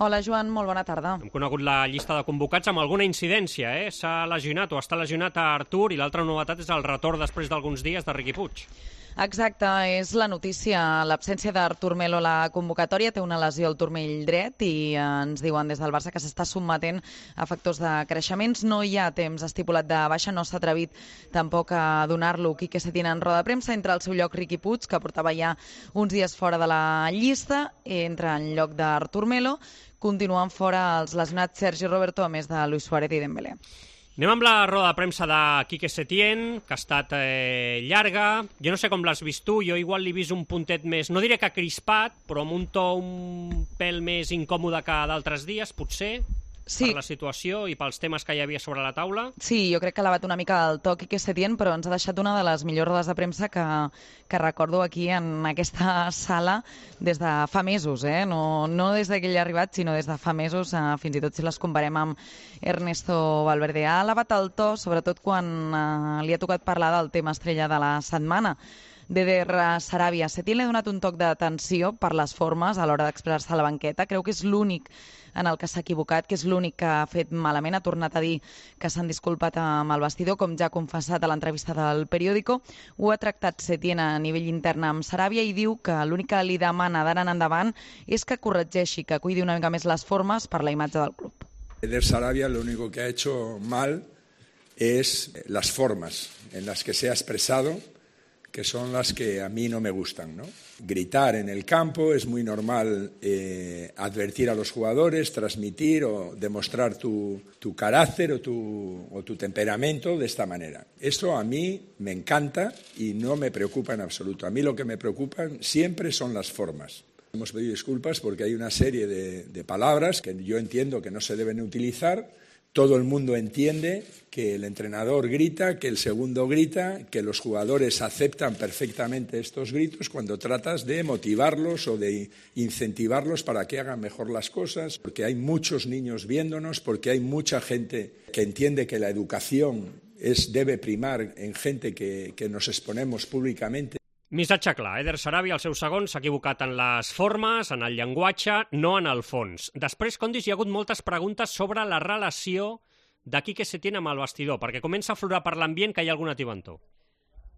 Hola, Joan, molt bona tarda. Hem conegut la llista de convocats amb alguna incidència, S'ha lesionat o està lesionat a Artur i l'altra novetat és el retorn després d'alguns dies de Riqui Puig. Exacte, és la notícia. L'absència d'Artur Melo a la convocatòria, té una lesió al turmell dret i ens diuen des del Barça que s'està sotmetent a factors de creixements. No hi ha temps estipulat de baixa, no s'ha atrevit tampoc a donar-lo Quique Setién en roda de premsa. Entra al seu lloc Riqui Puig, que portava ja uns dies fora de la llista, entra en lloc d'Artur Melo. Continuen fora els lesionats Sergi Roberto, a més de Luis Suárez i Dembélé. Anem amb la roda de premsa de Quique Setién, que ha estat llarga. Jo no sé com l'has vist tu, jo igual l'he vist un puntet més, no diré que crispat, però amb un to un pèl més incòmode que d'altres dies, potser, sí, per la situació i pels temes que hi havia sobre la taula. Sí, jo crec que l'ha bat una mica el to Quique Setién, però ens ha deixat una de les millors rodes de premsa que recordo aquí en aquesta sala des de fa mesos, no des que ell ha arribat, sinó des de fa mesos, fins i tot si les comparem amb Ernesto Valverde. Ha elevat el to, sobretot quan li ha tocat parlar del tema estrella de la setmana, d'Eder Sarabia. Setién li ha donat un toc d'atenció per les formes a l'hora d'expressar-se a la banqueta. Creu que és l'únic en el que s'ha equivocat, que és l'únic que ha fet malament. Ha tornat a dir que s'han disculpat amb el vestidor, com ja ha confessat a l'entrevista del Periódico. Ho ha tractat Setién a nivell intern amb Sarabia i diu que l'únic que li demana d'ara en endavant és que corregeixi, que cuidi una mica més les formes per la imatge del club. Eder Sarabia lo único que ha hecho mal es las formas en las que se ha expresado, que son las que a mí no me gustan, ¿no? Gritar en el campo es muy normal, advertir a los jugadores, transmitir o demostrar tu carácter o tu temperamento de esta manera. Esto a mí me encanta y no me preocupa en absoluto. A mí lo que me preocupan siempre son las formas. Hemos pedido disculpas porque hay una serie de palabras que yo entiendo que no se deben utilizar. Todo el mundo entiende que el entrenador grita, que el segundo grita, que los jugadores aceptan perfectamente estos gritos cuando tratas de motivarlos o de incentivarlos para que hagan mejor las cosas, porque hay muchos niños viéndonos, porque hay mucha gente que entiende que la educación debe primar en gente que nos exponemos públicamente. Missatge clar, Eder Sarabia, al seu segon, s'ha equivocat en les formes, en el llenguatge, no en el fons. Després, Condis, hi ha hagut moltes preguntes sobre la relació de Quique Setién amb el vestidor, perquè comença a aflorar per l'ambient que hi ha alguna tibantor.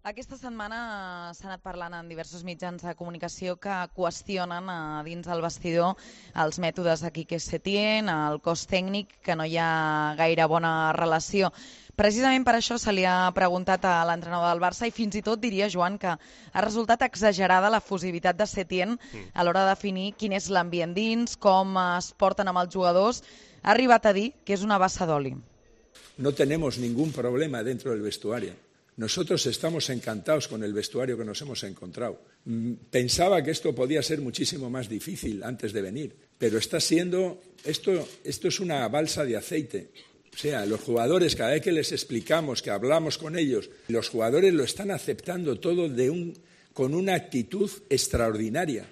Aquesta setmana s'ha anat parlant en diversos mitjans de comunicació que qüestionen dins del vestidor els mètodes de Quique Setién, el cos tècnic, que no hi ha gaire bona relació. Precisament per això se li ha preguntat a l'entrenador del Barça i fins i tot diria, Joan, que ha resultat exagerada la fusivitat de Setién a l'hora de definir quin és l'ambient dins, com es porten amb els jugadors. Ha arribat a dir que és una bassa d'oli. No tenemos ningún problema dentro del vestuario. Nosotros estamos encantados con el vestuario que nos hemos encontrado. Pensaba que esto podía ser muchísimo más difícil antes de venir, pero está siendo, esto es una balsa de aceite. O sea, los jugadores, cada vez que les explicamos, que hablamos con ellos, los jugadores lo están aceptando todo con una actitud extraordinaria.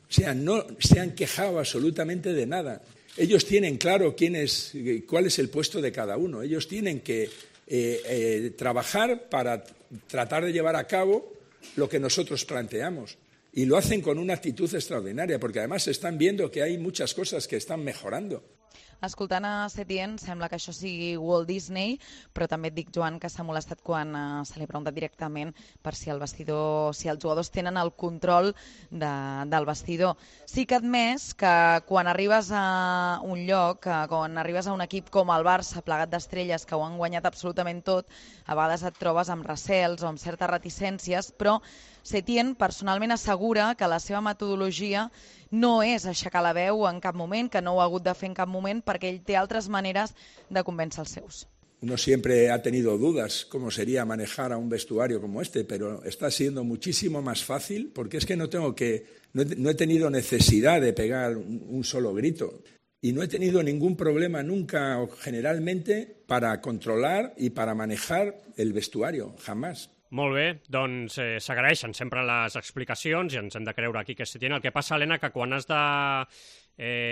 O sea, no se han quejado absolutamente de nada. Ellos tienen claro cuál es el puesto de cada uno. Ellos tienen que trabajar para tratar de llevar a cabo lo que nosotros planteamos. Y lo hacen con una actitud extraordinaria, porque además están viendo que hay muchas cosas que están mejorando. Escoltant a Setién, sembla que això sigui Walt Disney, però també et dic, Joan, que s'ha molestat quan se li ha preguntat directament per si el vestidor, si els jugadors tenen el control del vestidor. Sí que ha admès que quan arribes a un lloc, quan arribes a un equip com el Barça, plegat d'estrelles que ho han guanyat absolutament tot, a vegades et trobes amb recels o amb certes reticències, però Setién personalment assegura que la seva metodologia no és aixecar la veu en cap moment, que no ho ha hagut de fer en cap moment, perquè ell té altres maneres de convèncer els seus. Uno siempre ha tenido dudas cómo sería manejar a un vestuario como este, pero está siendo muchísimo más fácil porque es que no he tenido necesidad de pegar un solo grito y no he tenido ningún problema nunca o generalmente para controlar y para manejar el vestuario, jamás. Molt bé, doncs s'agraeixen sempre les explicacions i ens hem de creure aquí que Setién. El que passa, Helena, que quan has de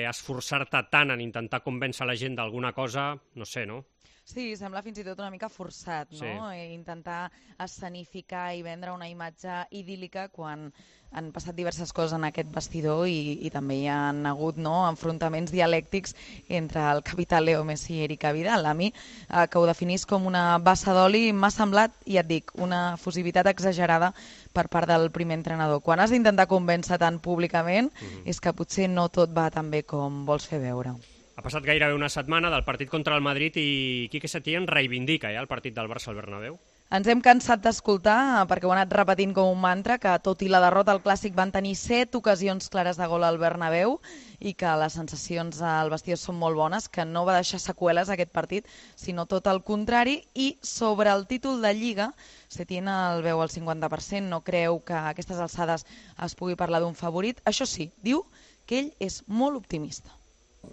esforçar-te tant en intentar convèncer la gent d'alguna cosa, no sé, no? Sí, sembla fins i tot una mica forçat, no? Sí. Intentar escenificar i vendre una imatge idíl·lica quan han passat diverses coses en aquest vestidor i també hi ha hagut, no, enfrontaments dialèctics entre el capità Leo Messi i Erika Vidal. A mi, que ho definís com una bassa d'oli, m'ha semblat, i et dic, una fusivitat exagerada per part del primer entrenador. Quan has d'intentar convèncer tant públicament, és que potser no tot va tan bé com vols fer veure. Ha passat gairebé una setmana del partit contra el Madrid i Quique Setién reivindica ja el partit del Barça al Bernabéu. Ens hem cansat d'escoltar, perquè ho ha anat repetint com un mantra, que tot i la derrota al Clàssic van tenir 7 ocasions clares de gol al Bernabéu i que les sensacions al vestidor són molt bones, que no va deixar seqüeles aquest partit, sinó tot el contrari. I sobre el títol de Lliga, Setién el veu al 50%, no creu que a aquestes alçades es pugui parlar d'un favorit. Això sí, diu que ell és molt optimista.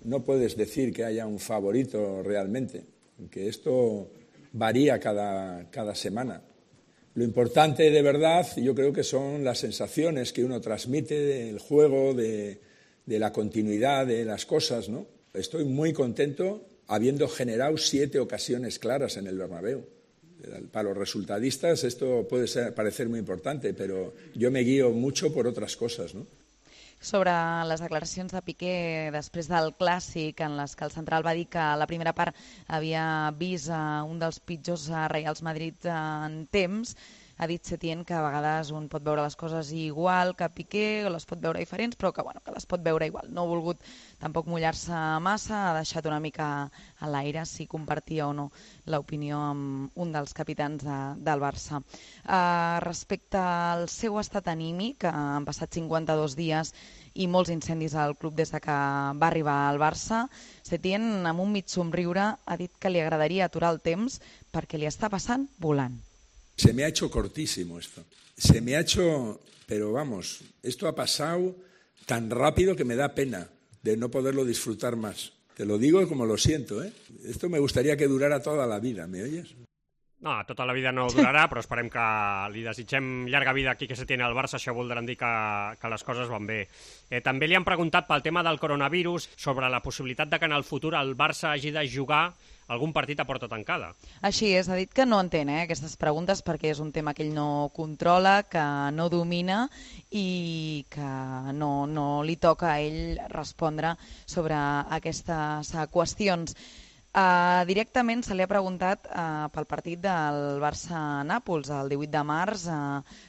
No puedes decir que haya un favorito realmente, que esto varía cada semana. Lo importante de verdad yo creo que son las sensaciones que uno transmite del juego, de la continuidad de las cosas, ¿no? Estoy muy contento habiendo generado 7 ocasiones claras en el Bernabéu. Para los resultadistas esto puede parecer muy importante, pero yo me guío mucho por otras cosas, ¿no? Sobre les declaracions de Piqué després del Clàssic, en les que el central va dir que a la primera part havia vist un dels pitjors Reials Madrid en temps, ha dit Setién que a vegades un pot veure les coses igual que Piqué, o les pot veure diferents, però que les pot veure igual. No ha volgut tampoc mullar-se massa, ha deixat una mica a l'aire si compartia o no l'opinió amb un dels capitans del Barça. Respecte al seu estat anímic, han passat 52 dies i molts incendis al club des que va arribar al Barça, Setién, amb un mig somriure, ha dit que li agradaria aturar el temps perquè li està passant volant. Se me ha hecho cortísimo esto. Se me ha hecho, pero vamos, esto ha pasado tan rápido que me da pena de no poderlo disfrutar más. Te lo digo como lo siento, ¿eh? Esto me gustaría que durara toda la vida, ¿me oyes? No, tota la vida no durarà, però esperem que li desitgem llarga vida aquí que se tiene al Barça, això voldrà dir que les coses van bé. També li han preguntat pel tema del coronavirus, sobre la possibilitat de que en el futur el Barça hagi de jugar algun partit a porta tancada. Així és, ha dit que no entén aquestes preguntes perquè és un tema que ell no controla, que no domina i que no li toca a ell respondre sobre aquestes qüestions. Directament se li ha preguntat pel partit del Barça-Nàpols el 18 de març,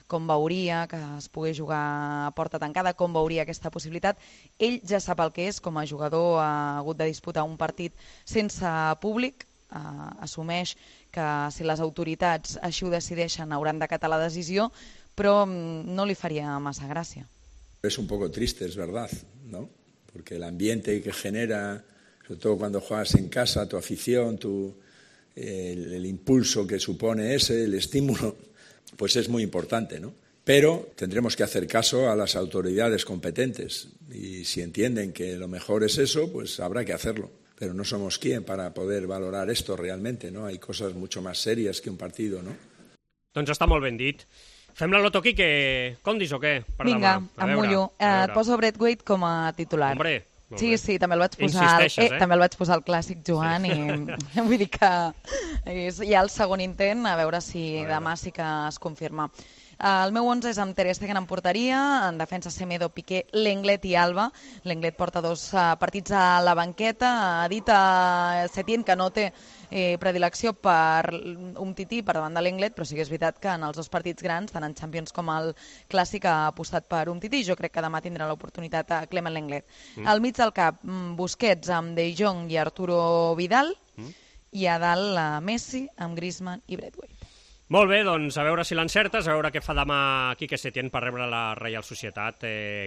com veuria que es pogués jugar a porta tancada, com veuria aquesta possibilitat. Ell ja sap el que és, com a jugador ha hagut de disputar un partit sense públic, assumeix que si les autoritats així ho decideixen hauran d'acatar la decisió, però no li faria massa gràcia. Es un poco triste, es verdad, ¿no? Porque el ambiente que genera, sobre todo cuando juegas en casa, tu afición, el impulso que supone el estímulo, pues es muy importante, ¿no? Pero tendremos que hacer caso a las autoridades competentes y si entienden que lo mejor es eso, pues habrá que hacerlo. Pero no somos quien para poder valorar esto realmente, ¿no? Hay cosas mucho más serias que un partido, ¿no? Doncs està molt ben dit. Fem la loto, Quique. Condis o què? Vinga, em mullo. Et poso Braithwaite com a titular. Hombre, sí, també el vaig posar també el vaig posar al Clàssic Joan i vull dir que hi ha el segon intent, a veure si demà sí que es confirma. El meu 11 és amb Ter Stegen en porteria, en defensa Semedo, Piqué, Lenglet i Alba. Lenglet porta 2 partits a la banqueta, ha dit a Setién que no té predilecció per Umtiti per davant de Lenglet, però sí que és veritat que en els 2 partits grans, tant en Champions com al Clàssic, ha apostat per Umtiti. Jo crec que demà tindrà l'oportunitat a Clement Lenglet. Al mig del cap, Busquets amb De Jong i Arturo Vidal, i a dalt Messi amb Griezmann i Braithwaite. Molt bé, doncs a veure si l'encertes, a veure què fa demà Quique Setién per rebre la Reial Societat.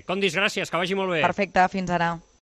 Condis, gràcies, que vagi molt bé. Perfecte, fins ara.